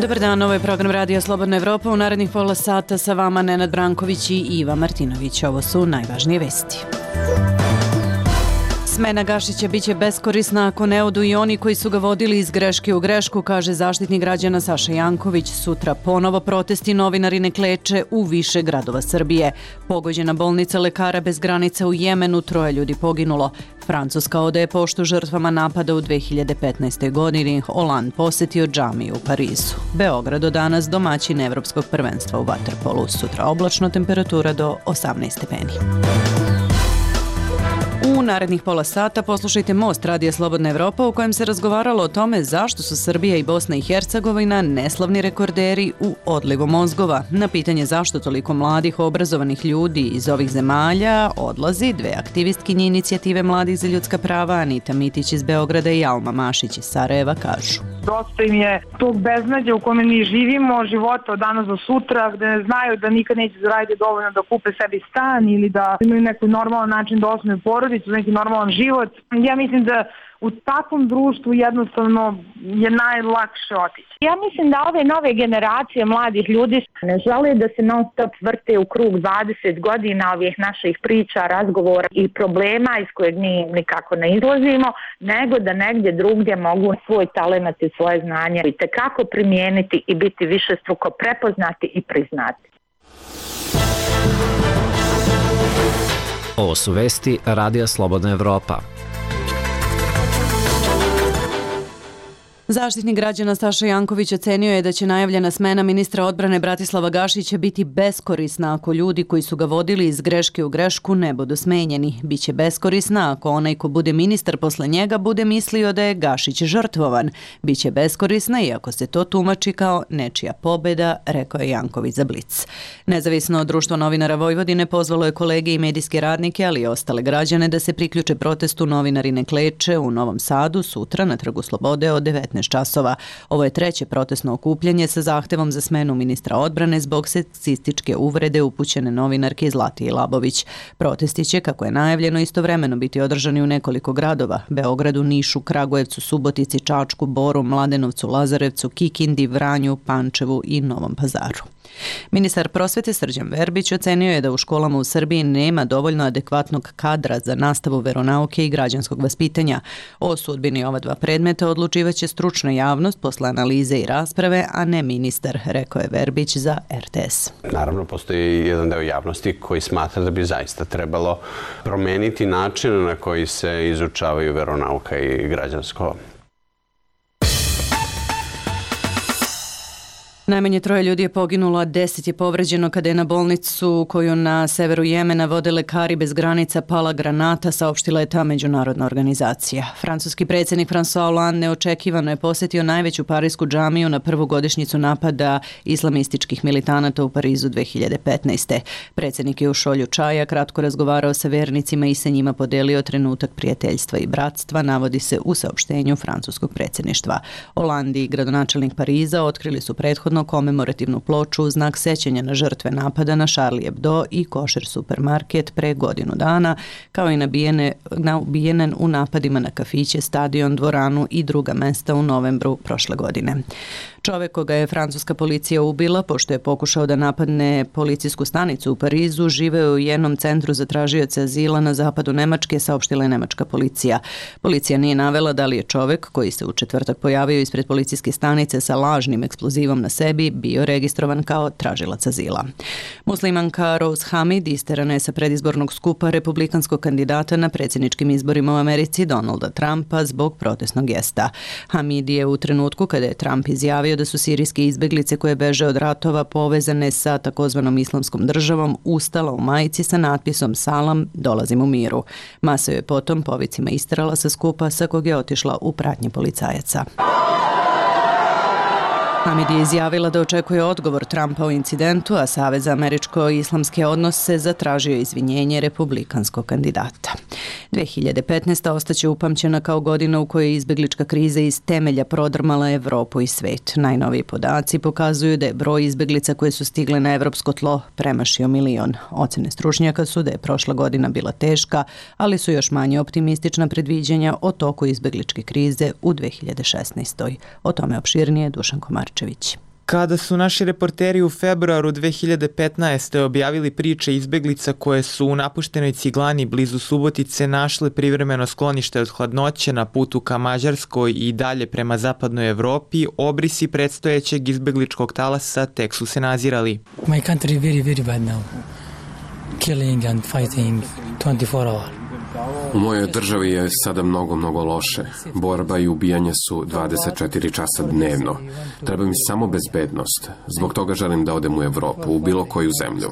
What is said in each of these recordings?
Dobar dan, ovo je program Radija Slobodna Evropa. U narednih pola sata sa vama Nenad Branković i Iva Martinović. Ovo su najvažnije vesti. Smena Gašića biće beskorisna ako ne odu i oni koji su ga vodili iz greške u grešku, kaže Zaštitnik građana Saša Janković. Sutra ponovo protesti, novinari ne kleče u više gradova Srbije. Pogođena bolnica Lekara bez granica u Jemenu, 3 ljudi poginulo. Francuska odaje poštu žrtvama napada u 2015. godini. Holand posetio džamiju u Parizu. Beograd od danas domaćin Evropskog prvenstva u vaterpolu. Sutra oblačno, temperatura do 18 stepeni. U narednih pola sata poslušajte Most Radija Slobodna Evropa u kojem se razgovaralo o tome zašto su Srbija i Bosna i Hercegovina neslavni rekorderi u odlivu mozgova. Na pitanje zašto toliko mladih obrazovanih ljudi iz ovih zemalja odlazi, 2 aktivistkinje inicijative Mladih za ljudska prava, Anita Mitić iz Beograda i Alma Mašić iz Sarajeva, kažu. Dosta im je tog beznađa u kome mi živimo, života od danas do sutra, gde znaju da nikad neće zaraditi dovoljno da kupe sebi stan ili da imaju neki normalan način da osnuju porodicu, neki normalan život. Ja mislim da u takvom društvu jednostavno je najlakše otići. Ja mislim da ove nove generacije mladih ljudi ne žele da se non stop vrte u krug 20 godina ovih naših priča, razgovora i problema iz kojeg mi nikako ne izlazimo, nego da negdje drugdje mogu svoj talenat i svoje znanje i tekako primijeniti i biti višestruko prepoznati i priznati. Ovo su vesti Radija Slobodna Evropa. Zaštitnik građana Saša Janković ocenio je da će najavljena smena ministra odbrane Bratislava Gašića biti beskorisna ako ljudi koji su ga vodili iz greške u grešku ne budu smenjeni. Biće beskorisna ako onaj ko bude ministar posle njega bude mislio da je Gašić žrtvovan. Biće beskorisna i ako se to tumači kao nečija pobjeda, rekao je Janković za Blic. Nezavisno društvo novinara Vojvodine pozvalo je kolege i medijske radnike, ali i ostale građane da se priključe protestu Novinari ne kleče u Novom Sadu sutra na Trgu Slobode od 19 časova. Ovo je 3. protestno okupljanje sa zahtevom za smenu ministra odbrane zbog seksističke uvrede upućene novinarke Zlatije Labović. Protesti će, kako je najavljeno, istovremeno biti održani u nekoliko gradova: Beogradu, Nišu, Kragujevcu, Subotici, Čačku, Boru, Mladenovcu, Lazarevcu, Kikindi, Vranju, Pančevu i Novom Pazaru. Ministar prosvete Srđan Verbić ocenio je da u školama u Srbiji nema dovoljno adekvatnog kadra za nastavu veronauke i građanskog vaspitanja. O sudbini ova 2 predmeta odlučivaće stručna javnost posle analize i rasprave, a ne ministar, rekao je Verbić za RTS. Naravno, postoji jedan deo javnosti koji smatra da bi zaista trebalo promeniti način na koji se izučavaju veronauka i građansko. Najmanje 3 ljudi je poginulo, a 10 je povređeno kada je na bolnicu koju na severu Jemena vode Lekari bez granica pala granata, saopštila je ta međunarodna organizacija. Francuski predsjednik François Hollande neočekivano je posjetio najveću parijsku džamiju na prvu godišnjicu napada islamističkih militanata u Parizu 2015. Predsjednik je u šolju čaja kratko razgovarao sa vernicima i sa njima podelio trenutak prijateljstva i bratstva, navodi se u saopštenju francuskog predsjedništva. Hollande i gradonačelnik Pariza otkrili su prethodno komemorativnu ploču u znak sećanja na žrtve napada na Charlie Hebdo i košer supermarket pre godinu dana, kao i na ubijene u napadima na kafiće, stadion, dvoranu i druga mesta u novembru prošle godine. Čovjek koga je francuska policija ubila pošto je pokušao da napadne policijsku stanicu u Parizu živeo u jednom centru za tražioce azila na zapadu Nemačke, saopštila je nemačka policija. Policija nije navela da li je čovjek koji se u četvrtak pojavio ispred policijske stanice sa lažnim eksplozivom na sebi bio registrovan kao tražilac azila. Muslimanka Rose Hamid isterana je sa predizbornog skupa republikanskog kandidata na predsjedničkim izborima u Americi Donalda Trumpa zbog protestnog gesta. Hamid je u trenutku kada je Trump izjavio da su sirijske izbeglice koje beže od ratova povezane sa takozvanom islamskom državom ustala u majici sa natpisom Salam, dolazim u miru. Masa je potom povicima isterala sa skupa sa kog je otišla u pratnji policajaca. Hamid je izjavila da očekuje odgovor Trumpa o incidentu, a Savez za američko-islamske odnose zatražio izvinjenje republikanskog kandidata. 2015. ostaće upamćena kao godina u kojoj je izbeglička kriza iz temelja prodrmala Evropu i svet. Najnoviji podaci pokazuju da je broj izbeglica koje su stigle na evropsko tlo premašio 1 milion. Ocene stručnjaka su da je prošla godina bila teška, ali su još manje optimistična predviđanja o toku izbegličke krize u 2016. O tome opširnije Dušan Komarčević. Kada su naši reporteri u februaru 2015. objavili priče izbeglica koje su u napuštenoj Ciglani blizu Subotice našle privremeno sklonište od hladnoće na putu ka Mađarskoj i dalje prema zapadnoj Evropi, obrisi predstojećeg izbegličkog talasa tek su se nazirali. My country is very, very bad now. Killing and fighting 24 hours. U mojoj državi je sada mnogo loše. Borba i ubijanje su 24 časa dnevno. Treba mi samo bezbednost. Zbog toga želim da odem u Evropu, u bilo koju zemlju.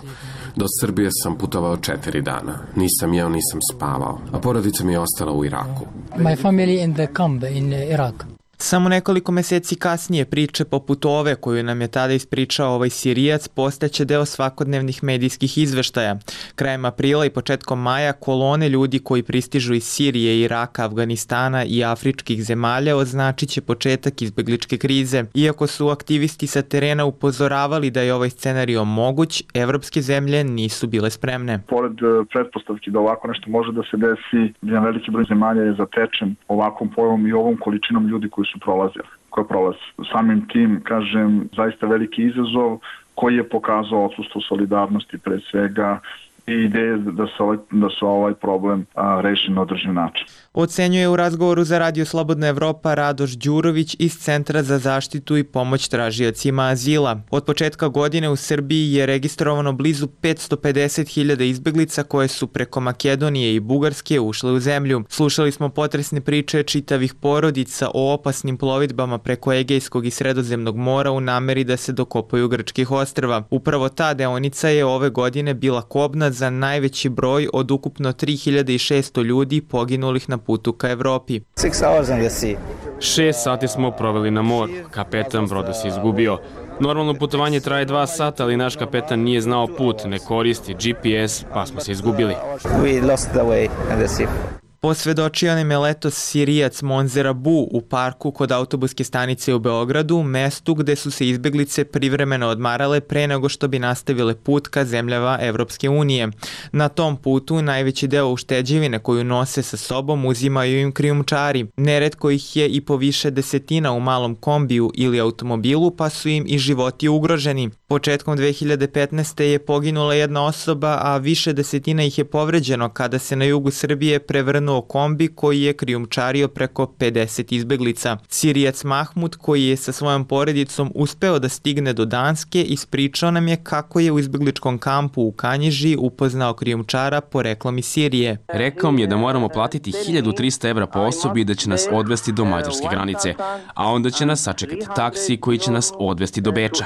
Do Srbije sam putovao 4 dana. Nisam jeo, nisam spavao. A porodica mi je ostala u Iraku. My family in the camp in Iraq. Samo nekoliko meseci kasnije priče poput ove koju nam je tada ispričao ovaj Sirijac postaće deo svakodnevnih medijskih izveštaja. Krajem aprila i početkom maja kolone ljudi koji pristižu iz Sirije, Iraka, Afganistana i afričkih zemalja označit će početak izbegličke krize. Iako su aktivisti sa terena upozoravali da je ovaj scenario moguć, evropske zemlje nisu bile spremne. Pored pretpostavki da ovako nešto može da se desi, jedan veliki broj zemalja je zatečen ovakvom pojavom i ovom količinom ljudi koji su prolaze. Samim tim, kažem, zaista veliki izazov koji je pokazao odsustvo solidarnosti pre svega i ideje da se ovaj problem reši na održiv način. Ocenjuje u razgovoru za Radio Slobodna Evropa Radoš Đurović iz Centra za zaštitu i pomoć tražiocima azila. Od početka godine u Srbiji je registrovano blizu 550.000 izbeglica koje su preko Makedonije i Bugarske ušle u zemlju. Slušali smo potresne priče čitavih porodica o opasnim plovidbama preko Egejskog i Sredozemnog mora u nameri da se dokopaju grčkih ostrva. Upravo ta deonica je ove godine bila kobna za najveći broj od ukupno 3600 ljudi poginulih na putu ka Evropi. 6 sati smo proveli na moru. Kapetan broda se izgubio. Normalno putovanje traje 2 sata, ali naš kapetan nije znao put, ne koristi GPS, pa smo se izgubili. Posvedočio nam je letos Sirijac Monzer Abu u parku kod autobuske stanice u Beogradu, mestu gde su se izbeglice privremeno odmarale pre nego što bi nastavile put ka zemljama Evropske unije. Na tom putu najveći deo ušteđevine koju nose sa sobom uzimaju im krijumčari. Neretko ih je i po više desetina u malom kombiju ili automobilu, pa su im i životi ugroženi. Početkom 2015. je poginula jedna osoba, a više desetina ih je povređeno kada se na jugu Srbije prevrnuo kombi koji je krijumčario preko 50 izbeglica. Sirijac Mahmud, koji je sa svojom porodicom uspeo da stigne do Danske, ispričao nam je kako je u izbegličkom kampu u Kanjiži upoznao krijumčara poreklom iz Sirije. Rekao mi je da moramo platiti 1300 evra po osobi i da će nas odvesti do mađarske granice, a onda će nas sačekati taksi koji će nas odvesti do Beča.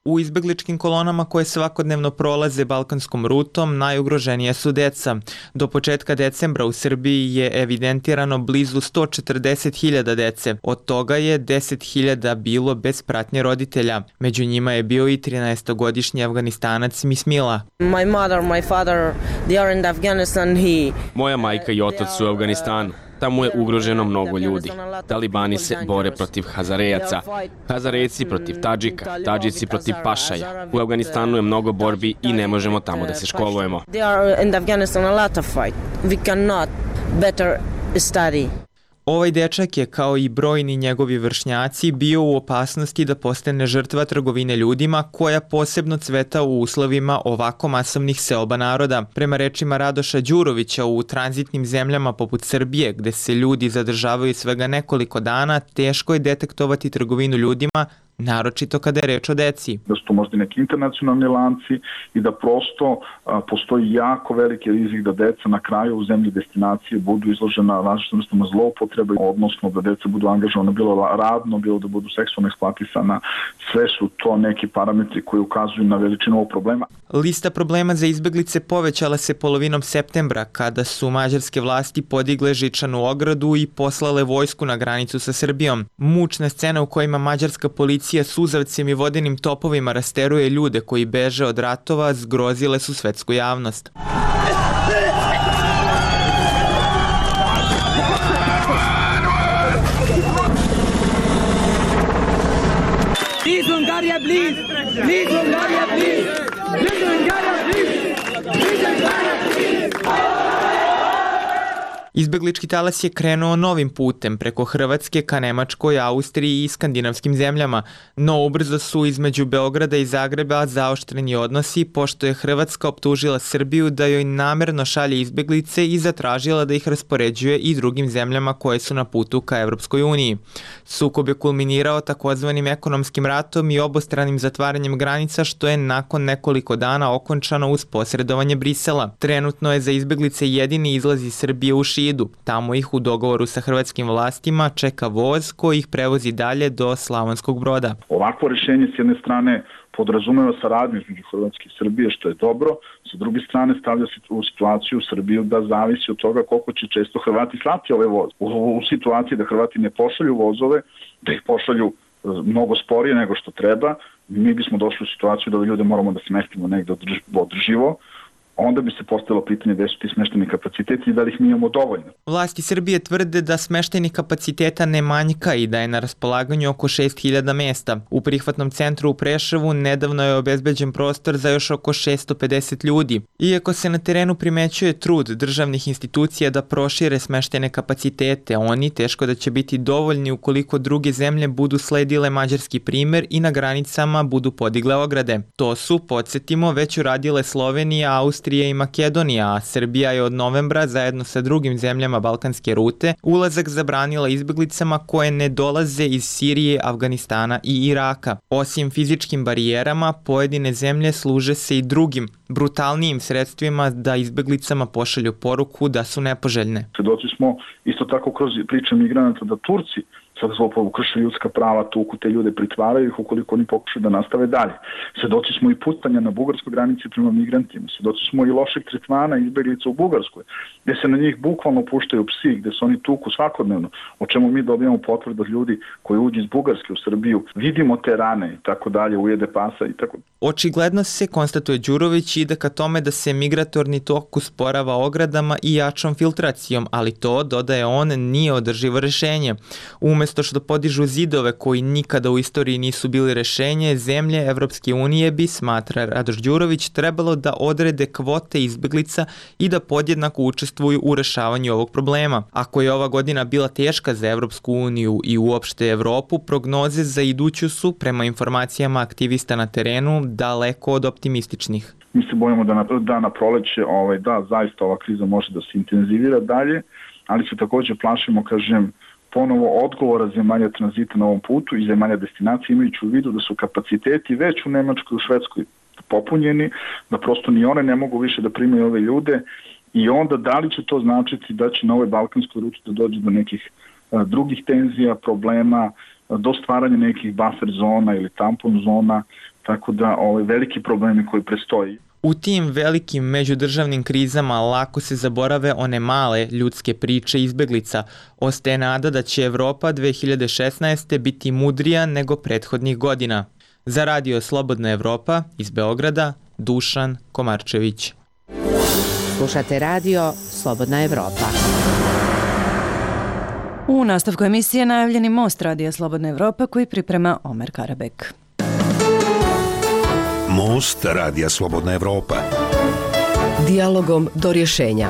U izbegličkim kolonama koje svakodnevno prolaze balkanskom rutom najugroženije su deca. Do početka decembra u Srbiji je evidentirano blizu 140.000 dece. Od toga je 10.000 bilo bez pratnje roditelja. Među njima je bio i 13-godišnji Afganistanac Mismila. Moja majka i otac su u Afganistanu. Tamo je ugroženo mnogo ljudi. Talibani se bore protiv Hazarejaca, Hazarejci protiv Tadžika, Tadžici protiv Pašaja. U Afganistanu je mnogo borbi i ne možemo tamo da se školujemo. Ovaj dečak je, kao i brojni njegovi vršnjaci, bio u opasnosti da postane žrtva trgovine ljudima koja posebno cveta u uslovima ovako masovnih seoba naroda. Prema rečima Radoša Đurovića, u tranzitnim zemljama poput Srbije, gde se ljudi zadržavaju svega nekoliko dana, teško je detektovati trgovinu ljudima, naročito kada je reč o deci. Da su to možda neki internacionalni lanci i da prosto postoji jako veliki rizik da deca na kraju u zemlji destinacije budu izložena različitim vrstama zloupotrebe, odnosno da deca budu angažovana bilo radno, bilo da budu seksualno eksploatisana. Sve su to neki parametri koji ukazuju na veličinu ovog problema. Lista problema za izbeglice povećala se polovinom septembra, kada su mađarske vlasti podigle žičanu ogradu i poslale vojsku na granicu sa Srbijom. Mučna scena u kojima mađarska policija suzavcem i vodenim topovima rasteruje ljude koji beže od ratova zgrozile su svetsku javnost. Please, Hungaria, please! Please, Hungaria, please! Please, Hungaria, please! Please, Hungaria, please! Izbeglički talas je krenuo novim putem preko Hrvatske ka Nemačkoj, Austriji i skandinavskim zemljama, no ubrzo su između Beograda i Zagreba zaoštreni odnosi pošto je Hrvatska optužila Srbiju da joj namerno šalje izbeglice i zatražila da ih raspoređuje i drugim zemljama koje su na putu ka Evropskoj uniji. Sukob je kulminirao takozvanim ekonomskim ratom i obostranim zatvaranjem granica što je nakon nekoliko dana okončano uz posredovanje Brisela. Trenutno je za izbeglice jedini izlaz iz Srbije u Šidu. Tamo ih u dogovoru sa hrvatskim vlastima čeka voz koji ih prevozi dalje do Slavonskog Broda. Ovakvo rješenje s jedne strane podrazumeva saradnju između Hrvatske i Srbije, što je dobro. Sa druge strane stavlja se u situaciju Srbiju da zavisi od toga koliko će često Hrvati slati ove voze. U situaciji da Hrvati ne pošalju vozove, da ih pošalju mnogo sporije nego što treba, mi bismo došli u situaciju da ljude moramo da smestimo negde održivo, onda bi se postavilo pitanje gde su ti smešteni kapaciteti i da li ih mi imamo dovoljno. Vlasti Srbije tvrde da smeštenih kapaciteta ne manjka i da je na raspolaganju oko 6.000 mesta. U prihvatnom centru u Preševu nedavno je obezbeđen prostor za još oko 650 ljudi. Iako se na terenu primećuje trud državnih institucija da prošire smeštene kapacitete, oni teško da će biti dovoljni ukoliko druge zemlje budu sledile mađarski primer i na granicama budu podigle ograde. To su, podsjetimo, već uradile Slovenija, Austrija i Makedonija, a Srbija je od novembra zajedno sa drugim zemljama balkanske rute ulazak zabranila izbeglicama koje ne dolaze iz Sirije, Afganistana i Iraka. Osim fizičkim barijerama, pojedine zemlje služe se i drugim, brutalnijim sredstvima da izbeglicama pošalju poruku da su nepoželjne. Svedoci smo isto tako kroz priče migranata da Turci sad zloporabu krše ljudska prava, tuku te ljude, pritvaraju ih ukoliko oni pokušaju da nastave dalje. Svedoci smo i putanja na bugarskoj granici prema migrantima, svedoci smo i lošeg tretmana izbeglica u Bugarskoj, gde se na njih bukvalno puštaju psi, gde se oni tuku svakodnevno, o čemu mi dobijamo potvrdu od ljudi koji uđu iz Bugarske u Srbiju, vidimo te rane i tako dalje, ujede pasa i tako. Očigledno se, konstatuje Đurović, ide ka tome da se migratorni tok usporava ogradama i jačom filtracijom, ali to, dodaje on, nije održivo rešenje. Umesto što podižu zidove koji nikada u istoriji nisu bili rešenje, zemlje Evropske unije bi, smatra Radoš Đurović, trebalo da odrede kvote izbeglica i da podjednako učestvuju u rešavanju ovog problema. Ako je ova godina bila teška za Evropsku uniju i uopšte Evropu, prognoze za iduću su, prema informacijama aktivista na terenu, daleko od optimističnih. Mi se bojimo da na proleće, da, zaista ova kriza može da se intenzivira dalje, ali se također plašimo, ponovo odgovora zemalja tranzita na ovom putu i zemalja destinacije, imajući u vidu da su kapaciteti već u Nemačkoj i u Švedskoj popunjeni, da prosto ni one ne mogu više da primaju ove ljude i onda da li će to značiti da će na ovoj balkanskoj ruti da dođe do nekih drugih tenzija, problema, do stvaranja nekih buffer zona ili tampon zona, tako da veliki problemi koji prestoji. U tim velikim međudržavnim krizama lako se zaborave one male ljudske priče izbeglica. Ostaje nada da će Evropa 2016. biti mudrija nego prethodnih godina. Za Radio Slobodna Evropa iz Beograda, Dušan Komarčević. Slušate Radio Slobodna Evropa. U nastavku emisije najavljeni most Radija Slobodna Evropa koji priprema Omer Karabek. Most Radija Slobodna Evropa. Dijalogom do rješenja.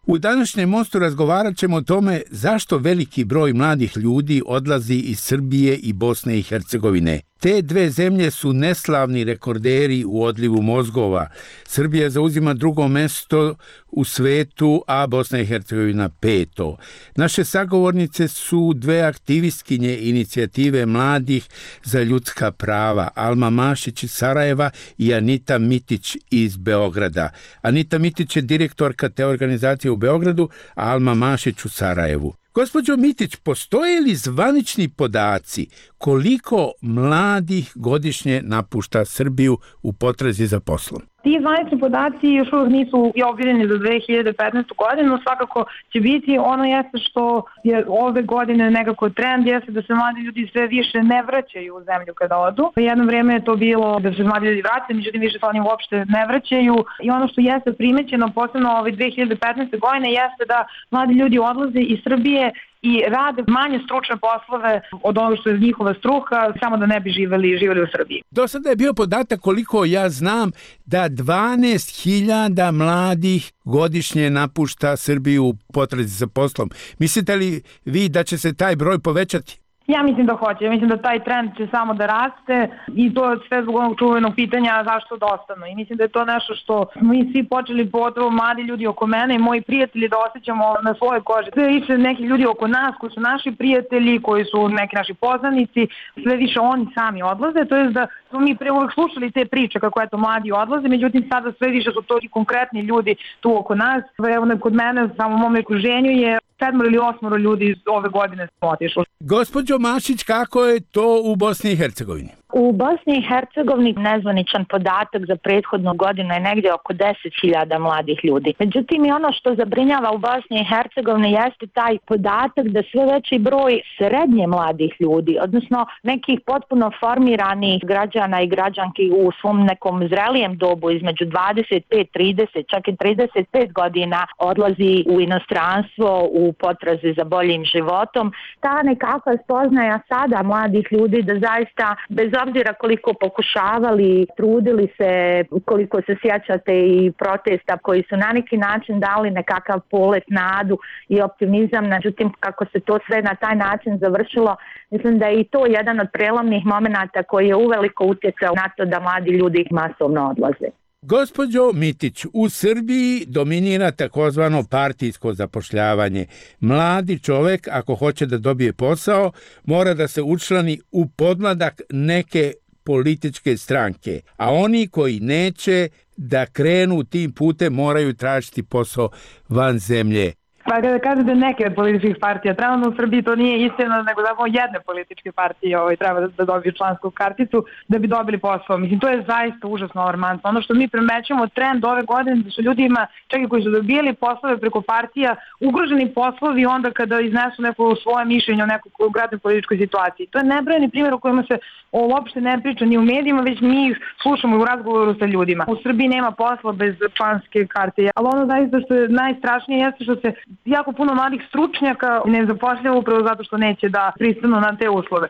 U današnjem mostu razgovarat ćemo o tome zašto veliki broj mladih ljudi odlazi iz Srbije i Bosne i Hercegovine. Te dve zemlje su neslavni rekorderi u odlivu mozgova. Srbija zauzima drugo mesto u svetu, a Bosna i Hercegovina 5. Naše sagovornice su dve aktivistkinje inicijative mladih za ljudska prava, Alma Mašić iz Sarajeva i Anita Mitić iz Beograda. Anita Mitić je direktorka te organizacije u Beogradu, a Alma Mašić u Sarajevu. Gospođo Mitić, postoje li zvanični podaci koliko mladih godišnje napušta Srbiju u potrazi za poslom? Ti zvanični podaci još uvijek nisu objavljeni za 2015. godinu, svakako će biti. Ono jeste što je ove godine nekako trend, jeste da se mladi ljudi sve više ne vraćaju u zemlju kada odu. Jedno vrijeme je to bilo da se mladi ljudi vraćaju, međutim više se oni uopšte ne vraćaju. I ono što jeste primećeno posebno ove 2015. godine jeste da mladi ljudi odlaze iz Srbije i rade manje stručne poslove od onog što je njihova struka, samo da ne bi živeli u Srbiji. Do sada je bio podatak, koliko ja znam, da 12.000 mladih godišnje napušta Srbiju u potrazi za poslom. Mislite li vi da će se taj broj povećati? Ja mislim da hoće. Ja mislim da taj trend će samo da raste i to sve zbog onog čuvenog pitanja zašto da ostanu. I mislim da je to nešto što mi svi počeli, pogotovo mladi ljudi oko mene i moji prijatelji, da osjećamo na svojoj koži. Sve više neki ljudi oko nas koji su naši prijatelji, koji su neki naši poznanici, sve više oni sami odlaze. To je da smo mi pre uvek slušali te priče kako eto mladi odlaze, međutim sada sve više su to i konkretni ljudi tu oko nas. Evo kod mene, samo u mom okruženju je 7 ili 8 ljudi ove godine smo otišli. Gospođo Mašić, kako je to u Bosni i Hercegovini? U Bosni i Hercegovini nezvaničan podatak za prethodnu godinu je negdje oko 10.000 mladih ljudi. Međutim, i ono što zabrinjava u Bosni i Hercegovini jeste taj podatak da sve veći broj srednje mladih ljudi, odnosno nekih potpuno formiranih građana i građanki u svom nekom zrelijem dobu između 25, 30, čak i 35 godina odlazi u inostranstvo u potrazi za boljim životom. Ta nekakva spoznaja sada mladih ljudi da zaista bez obzira koliko pokušavali, trudili se, koliko se sjećate i protesta koji su na neki način dali nekakav polet, nadu i optimizam, međutim kako se to sve na taj način završilo, mislim da je i to jedan od prelomnih momenata koji je uveliko utjecao na to da mladi ljudi masovno odlaze. Gospođo Mitić, u Srbiji dominira takozvano partijsko zapošljavanje. Mladi čovek, ako hoće da dobije posao, mora da se učlani u podmladak neke političke stranke, a oni koji neće da krenu tim putem moraju tražiti posao van zemlje. Pa kada kažete neke od političkih partija, trenutno u Srbiji to nije istina, nego zapravo jedne političke partije treba da dobiju člansku karticu da bi dobili posao. Mislim, to je zaista užasno alarmantno. Ono što mi primećujemo trend ove godine da su ljudima, čak i koji su dobijali poslove preko partija, ugroženi poslovi onda kada iznesu neko svoje mišljenje o nekoj konkretnoj političkoj situaciji. To je nebrojeni primjer u kojima se uopšte ne priča ni u medijima, već mi ih slušamo u razgovoru sa ljudima. U Srbiji nema posla bez članske karte, ali ono zaista što je najstrašnije jeste što se jako puno mladih stručnjaka ne zapošljava upravo zato što neće da pristanu na te uslove.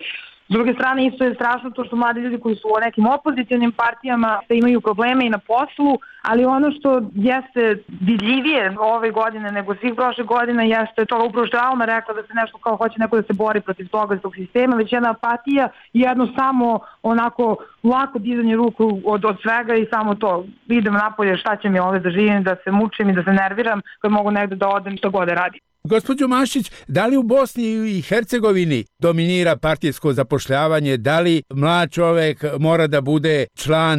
S druge strane, isto je strašno to što mladi ljudi koji su u nekim opozicionim partijama imaju probleme i na poslu, ali ono što jeste vidljivije ove godine nego svih prošle godine jeste to upravo što je Alma rekla da se nešto kao hoće neko da se bori protiv toga iz tog sistema, već jedna apatija i jedno samo onako lako dizanje ruku od svega i samo to. Idem napolje, šta će mi ovdje da živim, da se mučim i da se nerviram kad mogu negde da odem što god da radim. Gospođo Mašić, da li u Bosni i Hercegovini dominira partijsko zapošljavanje? Da li mlad čovek mora da bude član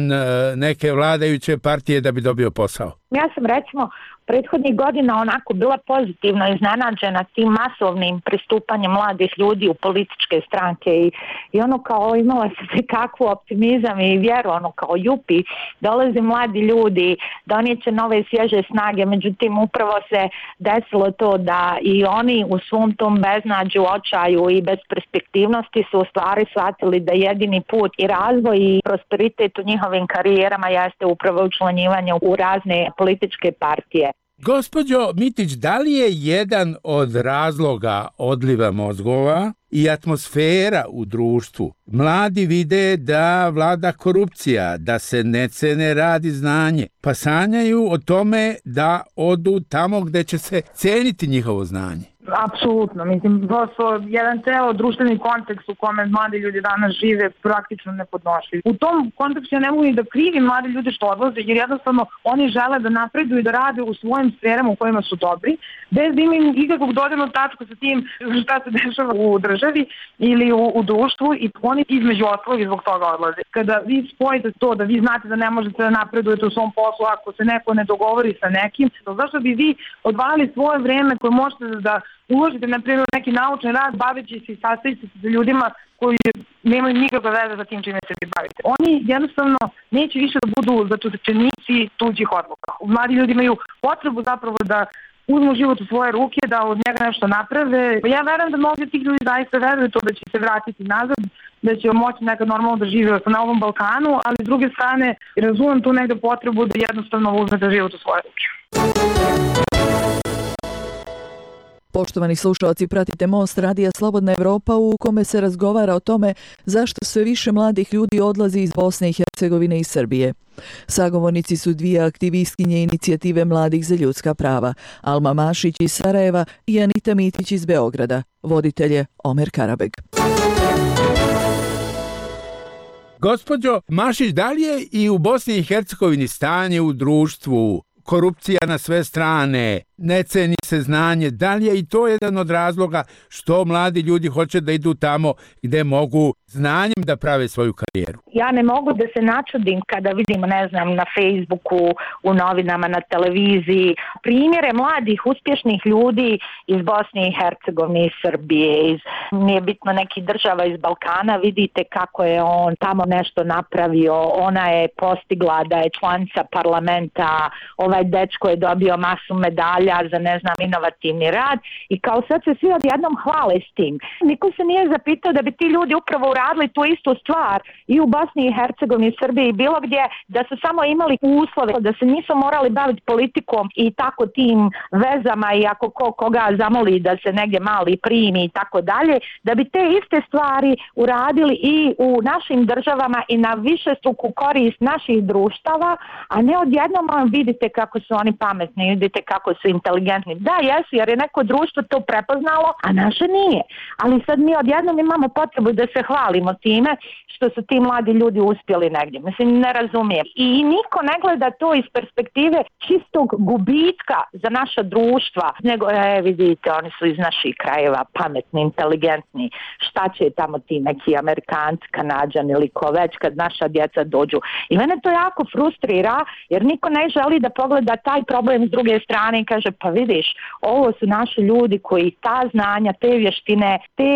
neke vladajuće partije da bi dobio posao? Ja sam recimo prethodnih godina onako bila pozitivno iznenađena tim masovnim pristupanjem mladih ljudi u političke stranke i ono kao imala se kakvu optimizam i vjeru, ono kao jupi, dolaze mladi ljudi, donijeće nove svježe snage, međutim upravo se desilo to da i oni u svom tom beznađu, očaju i besperspektivnosti su u stvari shvatili da jedini put i razvoj i prosperitet u njihovim karijerama jeste upravo učlanjivanje u razne političke partije. Gospođo Mitić, da li je jedan od razloga odliva mozgova i atmosfera u društvu? Mladi vide da vlada korupcija, da se ne cene rad i znanje, pa sanjaju o tome da odu tamo gde će se ceniti njihovo znanje. Apsolutno, mislim, prosto jedan ceo društveni kontekst u kome mladi ljudi danas žive praktično nepodnošljiv. U tom kontekstu ja ne mogu ni da krivim mladi ljudi što odlaze, jer jednostavno oni žele da napreduju i da rade u svojim sferama u kojima su dobri, bez da imaju ikakvog dodirnog tačka sa tim šta se dešava u državi ili u društvu i oni između ostalog zbog toga odlaze. Kada vi spojite to da vi znate da ne možete da napredujete u svom poslu ako se neko ne dogovori sa nekim, zašto bi vi odvajali svoje vreme koje možete da uložite, na primjer, neki naučni rad baveći se i sastaviti se sa ljudima koji nemaju nikakve veze za tim čime se vi bavite. Oni jednostavno neće više da budu zatočenici tuđih odluka. Mladi ljudi imaju potrebu zapravo da uzmu život u svoje ruke, da od njega nešto naprave. Ja verujem da mnogi tih ljudi zaista veruju to da će se vratiti nazad, da će moći nekad normalno da žive na ovom Balkanu, ali s druge strane razumem tu negde potrebu da jednostavno uzmete život u svoje ruke. Poštovani slušalci, pratite Most radija Slobodna Evropa u kome se razgovara o tome zašto sve više mladih ljudi odlazi iz Bosne i Hercegovine i Srbije. Sagovornici su dvije aktivistkinje inicijative Mladih za ljudska prava, Alma Mašić iz Sarajeva i Anita Mitić iz Beograda. Voditelj je Omer Karabeg. Gospođo Mašić, da li je i u Bosni i Hercegovini stanje u društvu, korupcija na sve strane, ne ceni se znanje, da li je i to jedan od razloga što mladi ljudi hoće da idu tamo gde mogu znanjem da prave svoju karijeru? Ja ne mogu da se načudim kada vidim, ne znam, na Facebooku, u novinama, na televiziji, primjere mladih, uspješnih ljudi iz Bosne i Hercegovine, iz Srbije, nije bitno nekih država iz Balkana, vidite kako je on tamo nešto napravio, ona je postigla da je članica parlamenta, ovaj dečko je dobio masu medalja za, ne znam, inovativni rad i kao sad se svi odjednom hvale s tim. Niko se nije zapitao da bi ti ljudi upravo uradili tu istu stvar i u Bosni i Hercegovini, Srbiji i bilo gdje, da su samo imali uslove, da se nisu morali baviti politikom i tako tim vezama i ako koga zamoli da se negdje mali primi i tako dalje, da bi te iste stvari uradili i u našim državama i na višestruku korist naših društava, a ne odjednom vidite kako su oni pametni, vidite kako su inteligentni. Da, jesu, jer je neko društvo to prepoznalo, a naše nije. Ali sad mi odjednom imamo potrebu da se hvalimo time što su ti mladi ljudi uspjeli negdje. Mislim, ne razumijem. I niko ne gleda to iz perspektive čistog gubitka za naša društva, nego, vidite, oni su iz naših krajeva pametni, inteligentni. Šta će tamo ti neki Amerikanci, Kanađani ili ko već kad naša djeca dođu. I mene to jako frustrira, jer niko ne želi da pogleda taj problem s druge strane i kaže, pa vidiš, ovo su naši ljudi koji ta znanja, te vještine, te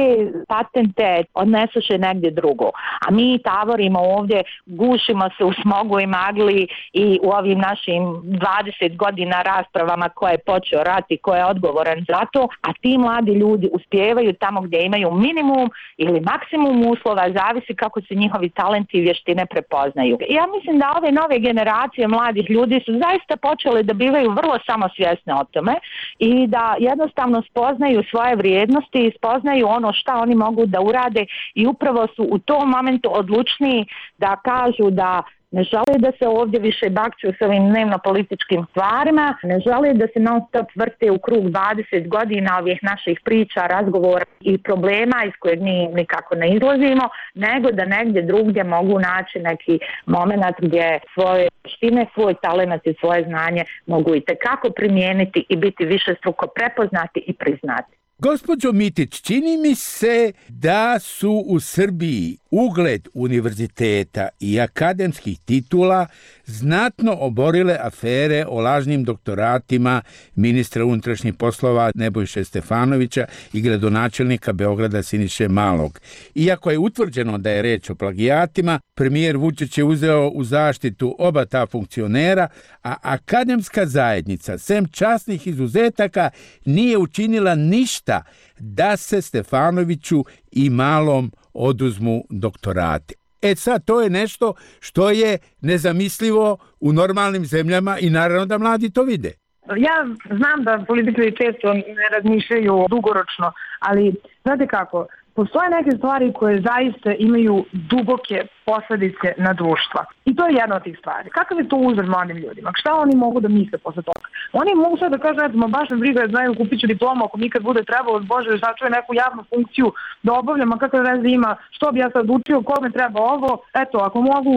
patente odnesuše negdje drugo. A mi tavorimo ovdje, gušimo se u smogu i magli i u ovim našim 20 godina raspravama ko je počeo rat i ko je odgovoran za to, a ti mladi ljudi uspijevaju tamo gdje imaju minimum ili maksimum uslova, zavisi kako se njihovi talenti i vještine prepoznaju. Ja mislim da ove nove generacije mladih ljudi su zaista počele da bivaju vrlo samosvjesne o tome i da jednostavno spoznaju svoje vrijednosti i spoznaju ono šta oni mogu da urade i upravo su u tom momentu odlučniji da kažu da ne žele da se ovdje više bakću s ovim dnevno-političkim stvarima, ne žele da se non stop vrte u krug 20 godina ovih naših priča, razgovora i problema iz kojeg nikako ne izlazimo, nego da negdje drugdje mogu naći neki moment gdje svoje vještine, svoj talent i svoje znanje mogu i tekako primijeniti i biti višestruko prepoznati i priznati. Gospođo Mitić, čini mi se da su u Srbiji ugled univerziteta i akademskih titula znatno oborile afere o lažnim doktoratima ministra unutrašnjih poslova Nebojše Stefanovića i gradonačelnika Beograda Siniše Malog. Iako je utvrđeno da je reč o plagijatima, premijer Vučić je uzeo u zaštitu oba ta funkcionera, a akademska zajednica, sem časnih izuzetaka, nije učinila ništa da se Stefanoviću i Malom oduzmu doktorate. Sad, to je nešto što je nezamislivo u normalnim zemljama i naravno da mladi to vide. Ja znam da političari često ne razmišljaju dugoročno, ali znate kako, postoje neke stvari koje zaista imaju duboke posljedice na društva. I to je jedna od tih stvari. Kakav je to uzor mladim ljudima? Šta oni mogu da misle posle toga? Oni mogu sad da kažu, eto, baš me briga, znaju, kupit ću diplomu ako mi kad bude trebalo, Bože, sačuje neku javnu funkciju da obavljam, a kakve veze ima, što bi ja sad učio, kome treba ovo, eto, ako mogu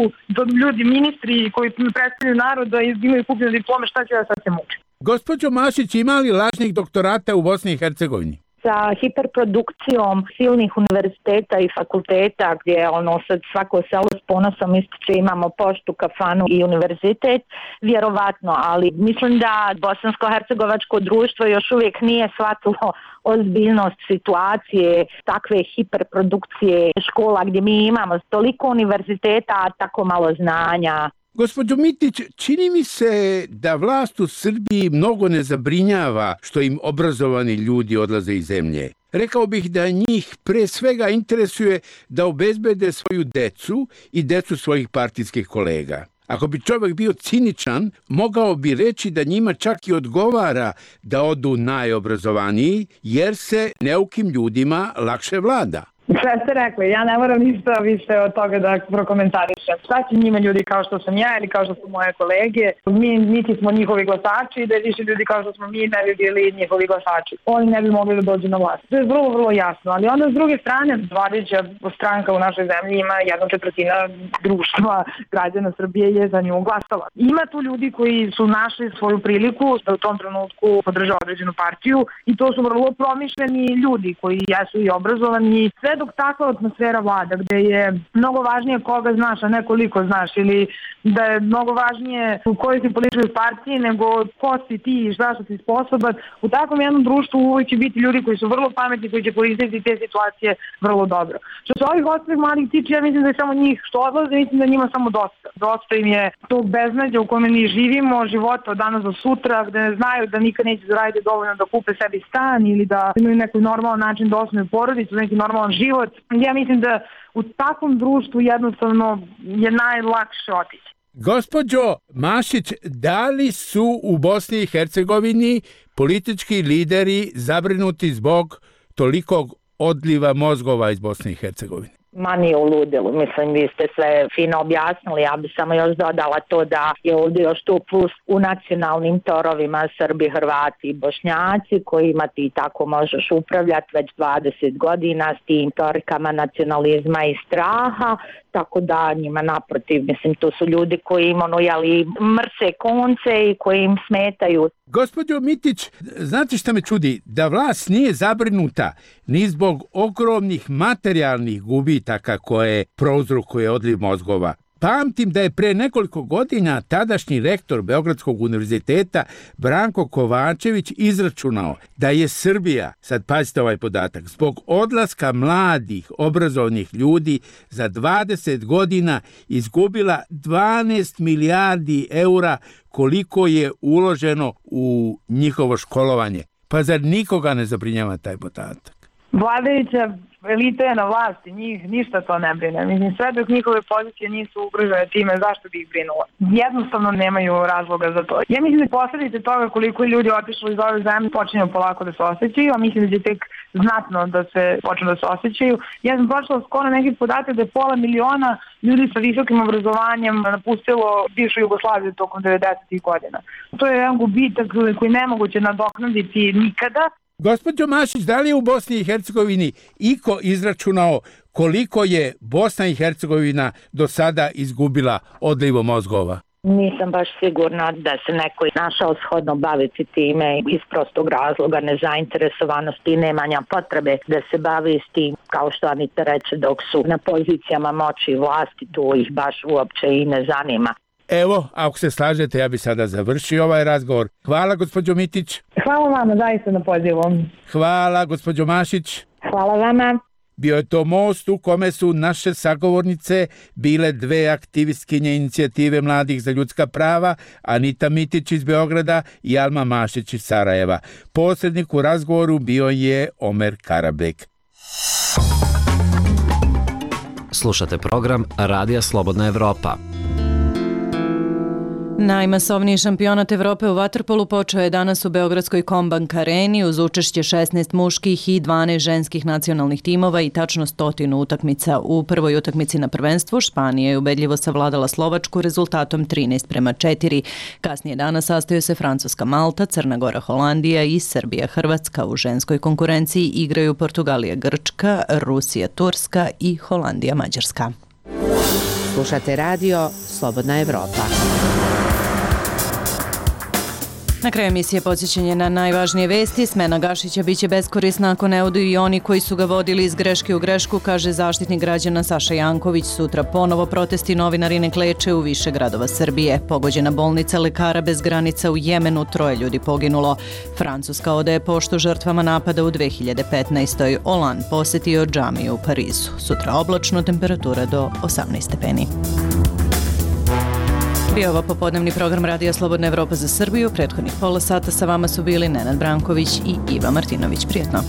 ljudi, ministri koji predstavljaju narod da imaju kupljene diplome, šta će ja sad se mučiti? Gospođo Mašić, ima li lažnih doktorata u Bosni i Hercegovini? Sa hiperprodukcijom silnih univerziteta i fakulteta gdje sad svako selo s ponosom ističe imamo poštu, kafanu i univerzitet, vjerovatno, ali mislim da bosansko-hercegovačko društvo još uvijek nije shvatilo ozbiljnost situacije takve hiperprodukcije škola gdje mi imamo toliko univerziteta, a tako malo znanja. Gospođo Mitić, čini mi se da vlast u Srbiji mnogo ne zabrinjava što im obrazovani ljudi odlaze iz zemlje. Rekao bih da njih pre svega interesuje da obezbede svoju decu i decu svojih partijskih kolega. Ako bi čovjek bio ciničan, mogao bi reći da njima čak i odgovara da odu najobrazovaniji, jer se neukim ljudima lakše vlada. Sve ste rekli, ja ne moram ništa više od toga da prokomentarišem. Šta će njima ljudi kao što sam ja ili kao što su moje kolege? Mi niti smo njihovi glasači, da je više ljudi kao što smo mi ne bi bili njihovi glasači. Oni ne bi mogli da dođu na vlast. To je vrlo, vrlo jasno. Ali onda s druge strane, vladajuća stranka u našoj zemlji ima 1/4 društva građana Srbije je za nju glasala. Ima tu ljudi koji su našli svoju priliku da u tom trenutku podržava određenu partiju i to su vrlo promišljeni ljudi koji jesu i obrazovani. Sve dok takva atmosfera vlada, gde je mnogo važnije koga znaš, a ne koliko znaš, ili da je mnogo važnije u kojoj si političkoj partiji nego ko si ti i šta si sposoban, u takvom jednom društvu uvijek će biti ljudi koji su vrlo pametni, koji će koristiti te situacije vrlo dobro. Što se ovih ostalih mladih tiče, ja mislim da je samo njih što odlaze, mislim da njima samo dosta. Dosta im je tog beznađa u kome mi živimo, života od danas do sutra, gde ne znaju da nikad neće zaraditi dovoljno da kupe sebi stan ili da imaju neki normalan način da osnuju porodicu, neki normalan život. Ja mislim da u takvom društvu jednostavno je najlakše otići. Gospođo Mašić, da li su u Bosni i Hercegovini politički lideri zabrinuti zbog tolikog odliva mozgova iz Bosne i Hercegovine? Ma nije u ludilu, mislim vi ste sve fino objasnili, ja bi samo još dodala to da je ovdje još tu plus u nacionalnim torovima Srbi, Hrvati i Bošnjaci kojima ti tako možeš upravljati već 20 godina s tim torikama nacionalizma i straha, tako da njima naprotiv, mislim tu su ljudi koji im mrse konce i koji im smetaju. Gospođo Mitić, znate šta me čudi? Da vlast nije zabrinuta ni zbog ogromnih materijalnih gubitaka koje prouzrokuje odliv mozgova. Pamtim da je pre nekoliko godina tadašnji rektor Beogradskog univerziteta Branko Kovačević izračunao da je Srbija, sad pazite ovaj podatak, zbog odlaska mladih obrazovnih ljudi za 20 godina izgubila 12 milijardi eura koliko je uloženo u njihovo školovanje. Pa zar nikoga ne zabrinjava taj podatak? Vladajuća elita je na vlasti, njih ništa to ne brine. Mislim, sve dok njihove pozicije nisu ugrožene time, zašto bi ih brinulo? Jednostavno nemaju razloga za to. Ja mislim da posljedice toga koliko je ljudi otišlo iz ove zemlje počinju polako da se osjećaju, a mislim da će tek znatno da se počnu da se osjećaju. Ja sam prošla skoro neki podatak da je 500.000 ljudi sa visokim obrazovanjem napustilo bivšu Jugoslaviju tokom 90. godina. To je jedan gubitak koji nemoguće nadoknaditi nikada. Gospođo Mašić, da li je u Bosni i Hercegovini iko izračunao koliko je Bosna i Hercegovina do sada izgubila odlivom mozgova? Nisam baš sigurna da se neko našao shodno baviti time iz prostog razloga nezainteresovanosti i nemanja potrebe da se bavi s tim, kao što Anita reče, dok su na pozicijama moći i vlasti, to ih baš uopće i ne zanima. Evo, ako se slažete, ja bi sada završio ovaj razgovor. Hvala, gospođo Mitić. Hvala vama zaista na pozivu. Hvala, gospođo Mašić. Hvala vama. Bio je to most u kome su naše sagovornice bile dve aktivistkinje inicijative mladih za ljudska prava, Anita Mitić iz Beograda i Alma Mašić iz Sarajeva. Posrednik u razgovoru bio je Omer Karabek. Slušate program Radija Slobodna Evropa. Najmasovniji šampionat Evrope u vaterpolu počeo je danas u Beogradskoj Kombank areni uz učešće 16 muških i 12 ženskih nacionalnih timova i tačno 100 utakmica. U prvoj utakmici na prvenstvu Španija je ubedljivo savladala Slovačku rezultatom 13:4. Kasnije danas sastaju se Francuska, Malta, Crna Gora, Holandija i Srbija, Hrvatska. U ženskoj konkurenciji igraju Portugalija, Grčka, Rusija, Turska i Holandija, Mađarska. Slušate radio Slobodna Evropa. Na kraju emisije podsjećanje na najvažnije vesti. Smena Gašića biće beskorisna ako ne odu i oni koji su ga vodili iz greške u grešku, kaže zaštitnik građana Saša Janković. Sutra ponovo protesti, novinari ne kleče u više gradova Srbije. Pogođena bolnica Lekara bez granica u Jemenu, 3 ljudi poginulo. Francuska odaje poštu žrtvama napada u 2015. Hollande posetio džamiju u Parizu. Sutra oblačno, temperatura do 18 stepeni. Bio ovo popodnevni program Radija Slobodna Evropa za Srbiju. Prethodnih pola sata sa vama su bili Nenad Branković i Iva Martinović. Prijetno.